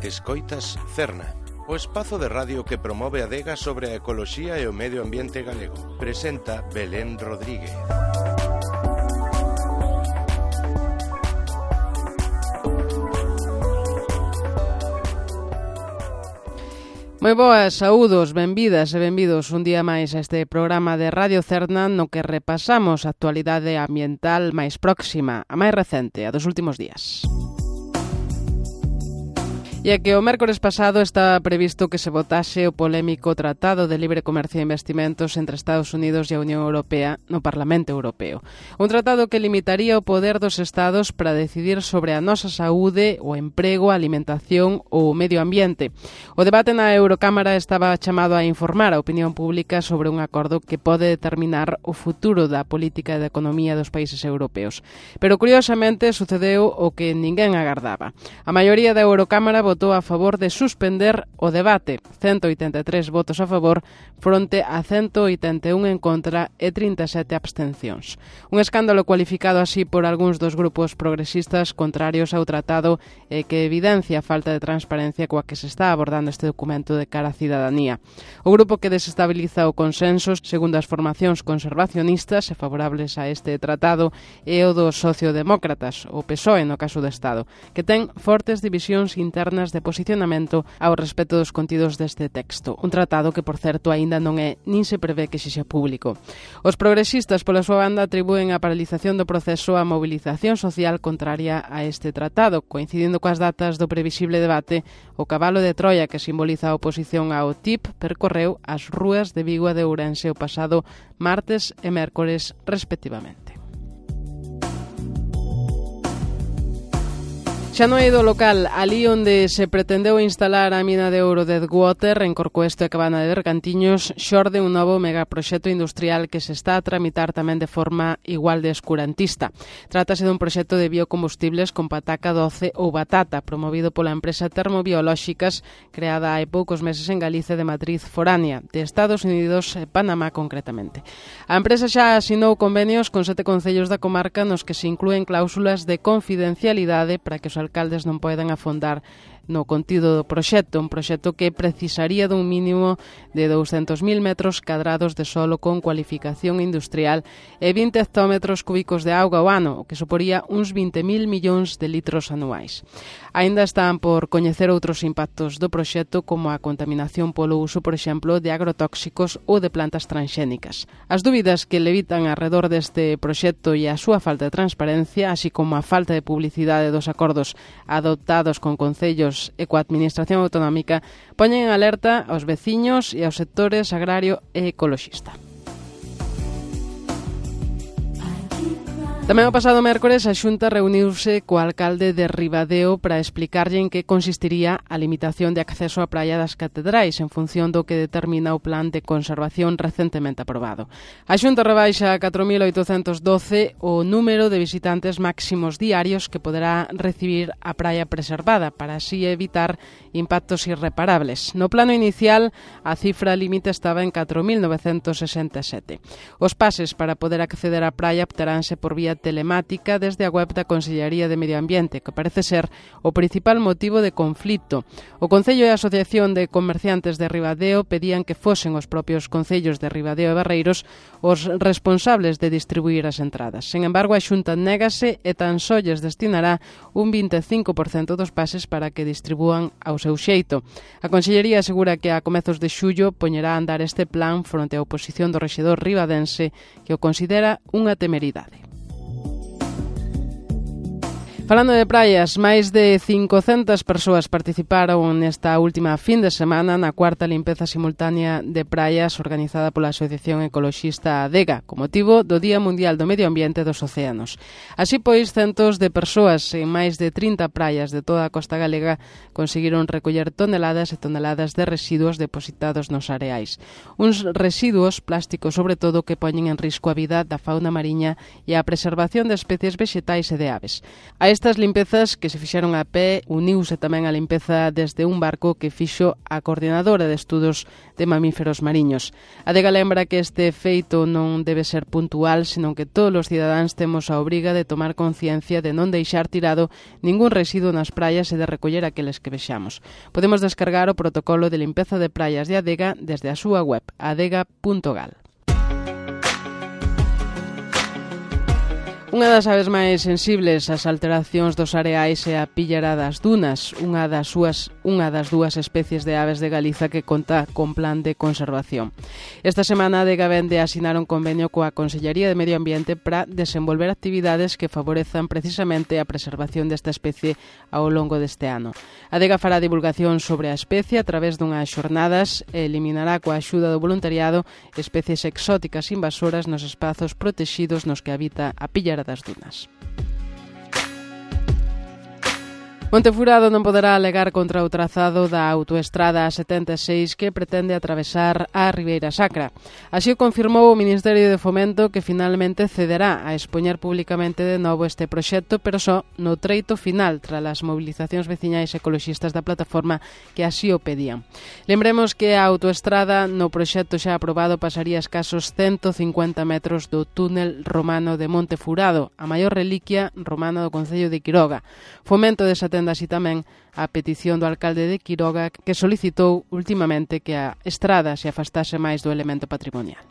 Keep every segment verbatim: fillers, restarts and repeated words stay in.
Escoitas Cerna, o espazo de radio que promove a adega sobre a ecoloxía e o medio ambiente galego. Presenta Belén Rodríguez. Moi boas, saúdos, benvidas e benvidos un día máis a este programa de Radio Cerna no que repasamos a actualidade ambiental máis próxima, a máis recente, a dos últimos días. E é que o mércores pasado estaba previsto que se votase o polémico Tratado de Libre Comercio e Investimentos entre Estados Unidos e a Unión Europea no Parlamento Europeo. Un tratado que limitaría o poder dos Estados para decidir sobre a nosa saúde, o emprego, a alimentación ou o medio ambiente. O debate na Eurocámara estaba chamado a informar a opinión pública sobre un acordo que pode determinar o futuro da política e da economía dos países europeos. Pero, curiosamente, sucedeu o que ninguén agardaba. A maioría da Eurocámara votou a favor de suspender o debate, ciento oitenta e tres votos a favor fronte a ciento oitenta e un en contra e trinta e sete abstencións. Un escándalo cualificado así por algúns dos grupos progresistas contrarios ao tratado e que evidencia a falta de transparencia coa que se está abordando este documento de cara á cidadanía. O grupo que desestabiliza o consenso, segundo as formacións conservacionistas e favorables a este tratado, é o dos sociodemócratas, o P S O E no caso do Estado, que ten fortes divisións internas de posicionamento ao respecto dos contidos deste texto. Un tratado que, por certo, aínda non é nin se prevé que sexa público. Os progresistas, pola súa banda, atribúen a paralización do proceso á mobilización social contraria a este tratado, coincidindo coas datas do previsible debate. O cabalo de Troia que simboliza a oposición ao T I P percorreu as rúas de Vigo e de Ourense o pasado martes e mércores, respectivamente. Xa no eido local, ali onde se pretendeu instalar a mina de ouro de Deadwater, en Corcoesto e Cabana de Bergantiños, xorde un novo megaproxecto industrial que se está a tramitar tamén de forma igual de escurantista. Trátase dun proxecto de biocombustibles con pataca doce ou batata, promovido pola empresa Termobiolóxicas, creada hai poucos meses en Galicia de matriz foránea, de Estados Unidos e Panamá concretamente. A empresa xa asinou convenios con sete concellos da comarca nos que se inclúen cláusulas de confidencialidade para que os alcaldes non poden afondar no contido do proxecto, un proxecto que precisaría dun mínimo de douscentos mil metros cadrados de solo con cualificación industrial e vinte hectómetros cúbicos de auga ao ano, o que suporía uns vinte mil millóns de litros anuais. Aínda están por coñecer outros impactos do proxecto, como a contaminación polo uso, por exemplo, de agrotóxicos ou de plantas transxénicas. As dúbidas que levitan arredor deste proxecto e a súa falta de transparencia, así como a falta de publicidade dos acordos adoptados con concellos e coa Administración Autonómica, poñen en alerta aos veciños e aos sectores agrario e ecoloxista. Tamén o pasado mércores a Xunta reuniuse co alcalde de Ribadeo para explicarlle en que consistiría a limitación de acceso á praia das Catedrais en función do que determina o plan de conservación recentemente aprobado. A Xunta rebaixa a catro mil oitocentos doce o número de visitantes máximos diarios que poderá recibir a praia preservada para así evitar impactos irreparables. No plano inicial, a cifra límite estaba en catro mil novecentos sesenta e sete. Os pases para poder acceder á praia obteránse por vía telemática desde a web da Consellería de Medio Ambiente, que parece ser o principal motivo de conflito. O Concello e a Asociación de Comerciantes de Ribadeo pedían que fosen os propios concellos de Ribadeo e Barreiros os responsables de distribuir as entradas. Sen embargo, a Xunta négase e tan só lles destinará un vinte e cinco por cento dos pases para que distribúan ao seu xeito. A Consellería asegura que a comezos de xullo poñerá a andar este plan fronte á oposición do rexedor ribadense, que o considera unha temeridade. Falando de praias, máis de cincocentas persoas participaron nesta última fin de semana na cuarta limpeza simultánea de praias organizada pola Asociación Ecoloxista ADEGA, con motivo do Día Mundial do Medio Ambiente e dos Océanos. Así pois, centos de persoas en máis de trinta praias de toda a costa galega conseguiron recoller toneladas e toneladas de residuos depositados nos areais. Uns residuos plásticos, sobre todo, que poñen en risco a vida da fauna mariña e a preservación de especies vexetais e de aves. A A estas limpezas que se fixeron a pé uniuse tamén a limpeza desde un barco que fixo a Coordinadora de Estudos de Mamíferos Mariños. A Adega lembra que este feito non debe ser puntual, senón que todos os cidadáns temos a obriga de tomar conciencia de non deixar tirado ningún residuo nas praias e de recoller aqueles que vexamos. Podemos descargar o protocolo de limpeza de praias de Adega desde a súa web, adega punto gal. Unha das aves máis sensibles ás alteracións dos areais é a píllara das dunas, unha das súas unha das dúas especies de aves de Galiza que conta con plan de conservación. Esta semana a Adega vende a asinar un convenio coa Consellería de Medio Ambiente para desenvolver actividades que favorezan precisamente a preservación desta especie ao longo deste ano. A Adega fará divulgación sobre a especie a través dunhas xornadas e eliminará coa axuda do voluntariado especies exóticas invasoras nos espazos protexidos nos que habita a píllara das dunas. Montefurado non poderá alegar contra o trazado da autoestrada A setenta e seis que pretende atravesar a Ribeira Sacra. Así o confirmou o Ministerio de Fomento, que finalmente cederá a expoñer públicamente de novo este proxecto, pero só no treito final, tras as movilizacións veciñais ecoloxistas da plataforma que así o pedían. Lembremos que a autoestrada no proxecto xa aprobado pasaría escasos ciento cincuenta metros do túnel romano de Montefurado, a maior reliquia romana do concello de Quiroga. Fomento desatende así tamén a petición do alcalde de Quiroga, que solicitou ultimamente que a estrada se afastase máis do elemento patrimonial.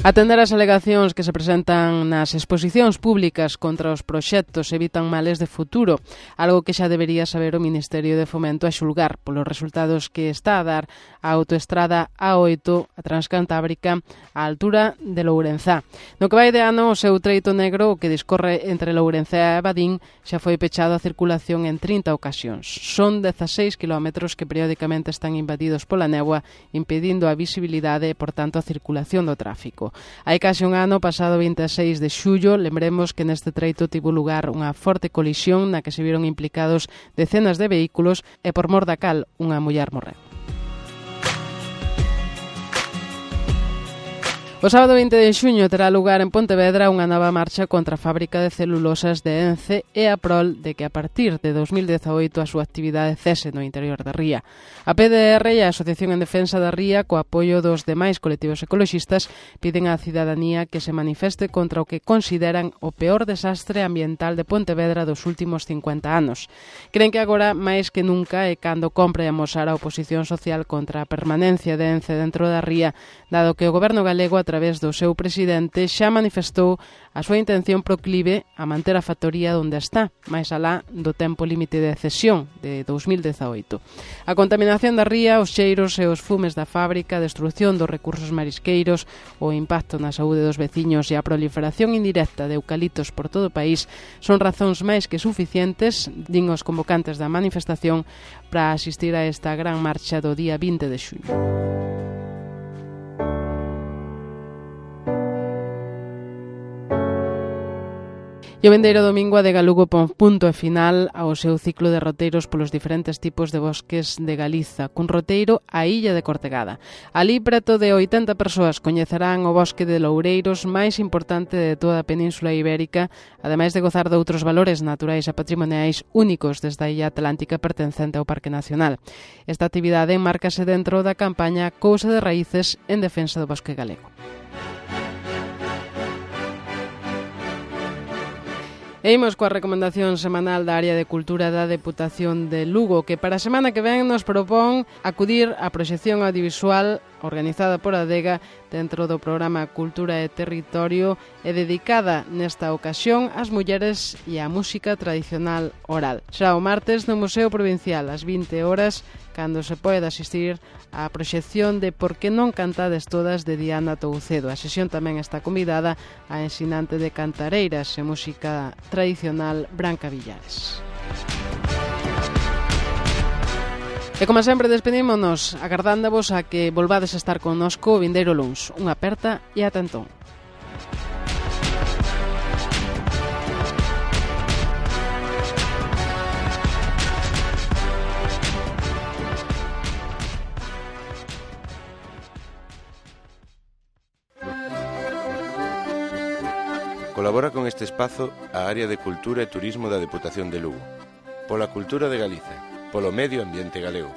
Atender as alegacións que se presentan nas exposicións públicas contra os proxectos evitan males de futuro, algo que xa debería saber o Ministerio de Fomento a xulgar polos resultados que está a dar a autoestrada A oito, a Transcantábrica, á altura de Lourenzá. No que vai de ano, o seu treito negro, o que discorre entre Lourenzá e Badín, xa foi pechado a circulación en trinta ocasións. Son dezaseis quilómetros que periódicamente están invadidos pola néboa, impedindo a visibilidade e, por tanto, a circulación do tráfico. Hai case un ano, pasado vinte e seis de xullo, lembremos que neste treito tivo lugar unha forte colisión na que se viron implicados decenas de vehículos e por mor da cal unha muller morreu. O sábado vinte de xuño terá lugar en Pontevedra unha nova marcha contra a fábrica de celulosas de Ence e a prol de que a partir de dos mil dezaoito a súa actividade cese no interior da ría. A P D R e a Asociación en Defensa da Ría, co apoio dos demais colectivos ecoloxistas, piden á cidadanía que se manifeste contra o que consideran o peor desastre ambiental de Pontevedra dos últimos cincuenta anos. Creen que agora, máis que nunca, é cando compre amosar a oposición social contra a permanencia de Ence dentro da ría, dado que o goberno galego, a través do seu presidente, xa manifestou a súa intención proclive a manter a factoría onde está, máis alá do tempo límite de cesión de dos mil dezaoito. A contaminación da ría, os cheiros e os fumes da fábrica, a destrucción dos recursos marisqueiros, o impacto na saúde dos veciños e a proliferación indirecta de eucaliptos por todo o país son razóns máis que suficientes, din os convocantes da manifestación, para asistir a esta gran marcha do día vinte de xuño. E o vindeiro domingo a Adega Lugo pon punto e final ao seu ciclo de roteiros polos diferentes tipos de bosques de Galiza, cun roteiro á Illa de Cortegada. Alí, preto de oitenta persoas coñecerán o bosque de loureiros máis importante de toda a Península Ibérica, ademais de gozar de outros valores naturais e patrimoniais únicos desde a Illa Atlántica pertencente ao Parque Nacional. Esta actividade enmárcase dentro da campaña Cousa de Raíces en defensa do bosque galego. E imos coa recomendación semanal da área de cultura da Deputación de Lugo, que para a semana que ven nos propón acudir á proxección audiovisual organizada por Adega dentro do programa Cultura e Territorio e dedicada nesta ocasión ás mulleres e á música tradicional oral. Será o martes no Museo Provincial ás vinte horas, cando se pode asistir á proxección de Por que non cantades todas de Diana Toucedo. A sesión tamén está convidada a ensinante de cantareiras e música tradicional Branca Villares. E como sempre despedímonos agardándovos a que volvades a estar connosco o vindeiro luns. Unha aperta e ata entón. Colabora con este espazo a Área de Cultura e Turismo da Deputación de Lugo. Pola cultura de Galicia, polo medio ambiente galego.